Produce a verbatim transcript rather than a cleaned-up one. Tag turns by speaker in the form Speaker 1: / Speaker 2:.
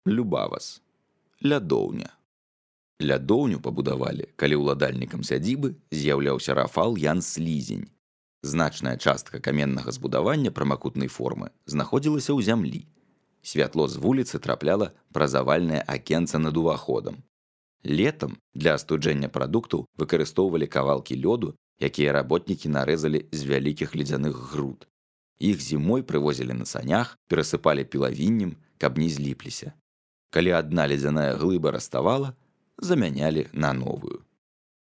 Speaker 1: Любавас. Лядоўня. Лядоўню пабудавалі, калі ўладальнікам сядзібы з'яўляўся Рафал Ян Слізень. Значная частка каменнага збудавання прамакутнай формы знаходзілася ў зямлі. Святло з вуліцы трапляла праз авальнае акенца над уваходам. Летам для астуджэння прадуктаў выкарыстоўвалі кавалкі лёду, якія работнікі нарэзалі з вялікіх ледзяных груд. Іх зімой прывозілі на санях, перасыпалі пілавіннем, каб не зліпліся. Калі адна ледзяная глыба раставала, замянялі на новую.